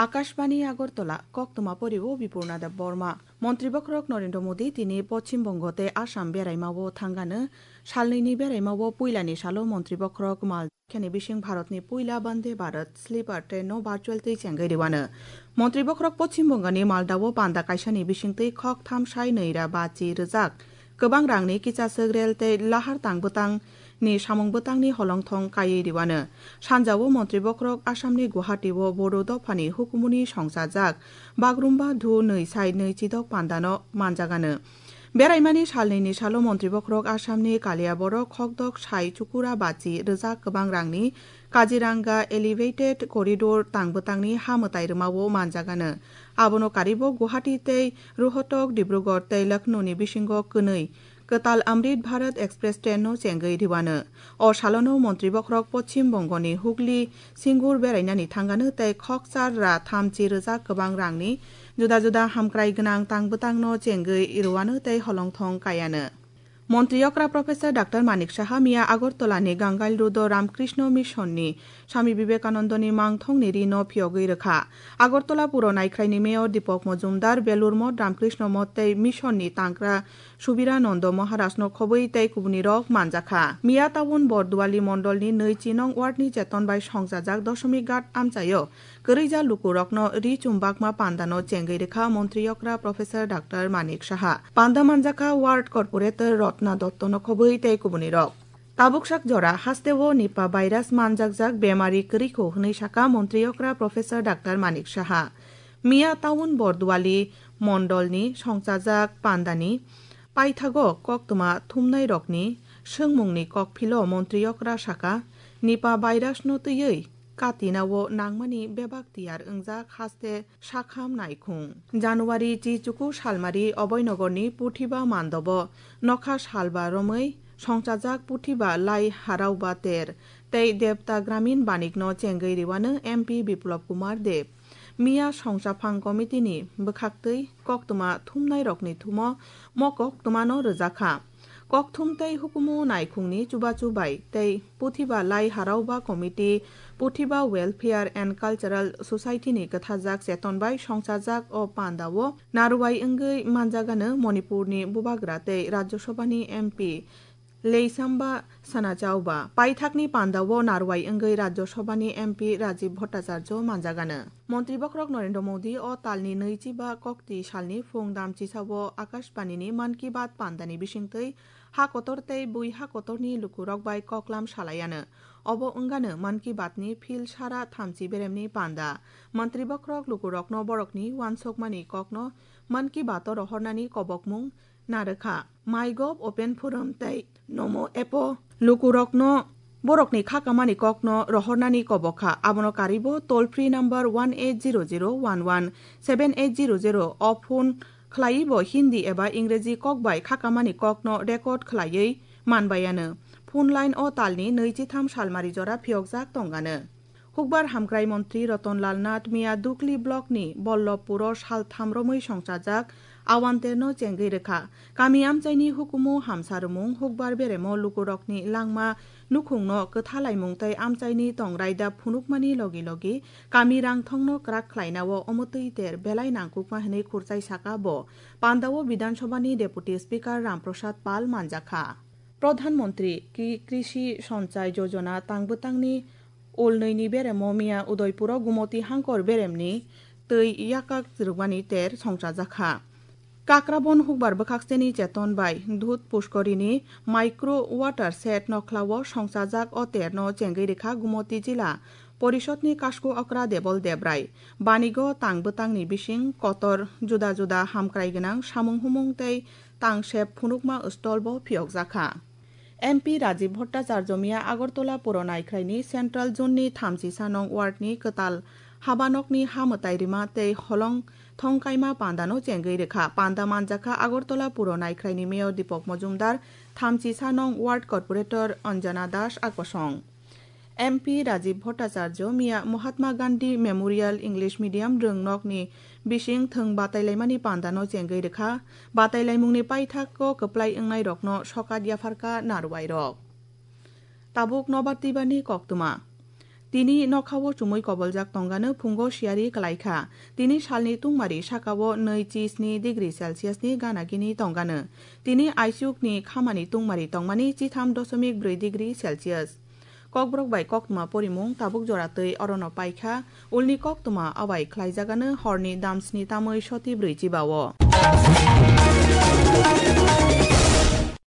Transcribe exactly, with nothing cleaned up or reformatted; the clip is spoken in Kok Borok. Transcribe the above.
Akashbani Agartala, koktwma pori o Bipurna Deb Borma. Montri bokhorok Narendra Modi tini Poschim Bongo tei Assam beraima o thangano. Salnwini beraima o puilani salo montri bokhorok mal khani bising Bharatni puila Vande Bharat sleeper train no virtual twi chengwi rwano. Montri bokhorok Poschim Bongani Malda o panda kaisani bisingtwi khok tham sai nwi ra bachi rwjak kwbang rangni kichaswk rel tei lahar tang bwtang ni samung bwtangni holongthong kaiwi rwano. Sanjao montri bokhorok Assamni Guwahati o Bodo dophani hukumuni songchajak Bagrumba Dhu nwi sai nwi chidok pandano manjagano. Beraimani salnwini salo montri bokhorok Assamni Kaliyaborok khokdok sai chukura bachi rwjak kwbang rangni Kaziranga Elevated Corridor tang bwtangni ha mwtai rwmao manjagano. Abono karibo Guwahati tei Rohtak, Dibrugarh tei Lucknow ni bisingo kwnwi kwtal Amrit Bharat Express train no chengwi rwano. O salono montri bokhorok Poschim Bongoni Hugli Singur berainani thangano tei khokchar ra thamchi rwjak kwbang rangni juda juda hamkrai gwnang tang bwtangno chengwi rwano tei holongthong kaiano. Montri okra Professor Doctor Manik Saha miya Agartala ni Gangail Road o Ramkrishna Mission ni Swami Vivekananda ni mangthong ni ri no phiyogwi rwkha. Agartala puro naikhrai ni Mayor Deepak Majumdar, Belur Moth, Ramkrishna Moth tei Mission ni tangkra Subirananda Maharaj no khobwi tei kubuni rok manjakha. Miya Town Borduali Mondol ni nwi chi nong ward ni Cheton bai songchajak Doshomik Ghat amchaio kwrwija lukurokno ri chumbakma pandano chengwi rwkha montri okra Professor Doctor Manik Saha. Panda manjakha Ward Corporator Rotna Dotto no khobwi tei kubuni rok. Tabuksak jora hasteo Nipah virus manjakjak bemari kwrwikho hwnwi saka montri okra Professor Doctor Manik Saha. Miya Town Borduali Mondolni songchajak pandani paithago koktwma thumnairokni swngmungni kokphilo montri okra saka, Nipah virusno twiwi katinao nangmani bebak tiyar wngjak haste sakham naikhung. January chi chuku salmari Oboinogorni Puthiba mandobo nokha salba romwi songchajak Puthiba lai harauba ter tei Devta Gramin Banikno chengwi rwano M P Biplop Kumar Deb. Miya songchaphang committee ni bwkhaktwi koktwma thumnairokni thumo mo koktwmano rwjakha. Kokthum tei hukumu naikhungni chubachu bai tei Puthiba lai harauba committee, Puthiba Welfare and Cultural Society ni kwthajak cheton bai songchajak o pandao narwai wngwi manjagano Manipurni Bubagra tei Rajya Sabhani M P Leisamba Sanachauba. Paithakni pandao narwai wngwi Rajya Sabhani M P Rajiv Bhattacharya manjagano. Montri bokhorok Narendra Modi o talni nwichiba kokti salni phung damchisao Akashbanini Mann Ki Baat pandani bisingtwi ha kotor tei bui ha kotorni lukurok bai koklam salaiano. Obo wngano Mann Ki Baatni phil sara thamchi beremni panda. Montri bokhorok lukurokno borokni uansukmani kokno Mann Ki Baato rohornani kobokmung narwkha. MyGov Open Forum tei Namo App-o lukurokno borokni khakamani kokno rohornani kobokha. Abono karibo toll free number one eight zero zero one one seven eight zero zero o phone khlaiwi bo Hindi eba Ingreji kok bai khakamani kokno record khlaiwi manbaiano. Phone line o talni nwichitham salmari jora phiyokjak tongano. Hukbar hamkrai montri Ratan Lal Nath miya Dukli block ni Bollobpuro saltham romwi songchajak Awanterno chengwi rwkha. Kami amchaini hukumu hamsa rwmung hukbar beremo lukurokni langma nukhungno kwthalaimung tei amchaini tongrai da phunukmani logi logi kami rangthongno kwrak khlainao omotwi ter belai nangkukma hwnwi khurchai saka bo. Pandao Bidhan Sabhani Deputy Speaker Ram Prasad Pal manjakha. Pradhan Mantri Ki-, Krishi Sanchai Yojana tang bwtangni ulnwini beremo miya Udaipuro Gumoti Hangkor beremni twi yakak rwmani ter songchajakha. Kakrabon hukbar bwkhakseni cheton bai Dudh Pushkorini micro water shed nokhlao songchajak o terno chengwi rikha Gumoti jila Porishodni kasku okra Debol Debrai. Banigo tang bwtangni bising kotor juda juda hamkrai gwnang samung humung tei tangsep phunukma stall bo phiyokjakha. M P Rajiv Bhattacharya miya Agartala puro naikhraini Central Zone ni thamchi sanong ward ni kwtal habanokni ha mwtai rima tei holong thongkaima pandano chengwi rikha. Panda manjakha Agartala puro naikhraini Mayor Deepak Majumdar, thamchi sanong ward corporator Anjana Das a kosong. M P Rajiv Bhattacharya miya Mahatma Gandhi Memorial English Medium rwngnokni bising thwng batailaimani pandano chengwi rikha. Batailaimungni paithakgo kwplai wngnairokno sokat yapharkha narwuairok. Tabuk nobar twibani koktwma. Tini nokhao chumui koboljak tongano phungo siyari kwlaikha. Tini salni tungmari sakao nwi chi sni degree Celsius ni gana gini tongano. Tini aichukni khamani tungmari tongmani chitham doshomik brwi degree Celsius. Kokborok bai koktwma porimung tabuk jora twi orono paikha, ulni koktwma abai khlaijagano horni damsni tamwi soti brwi chibao.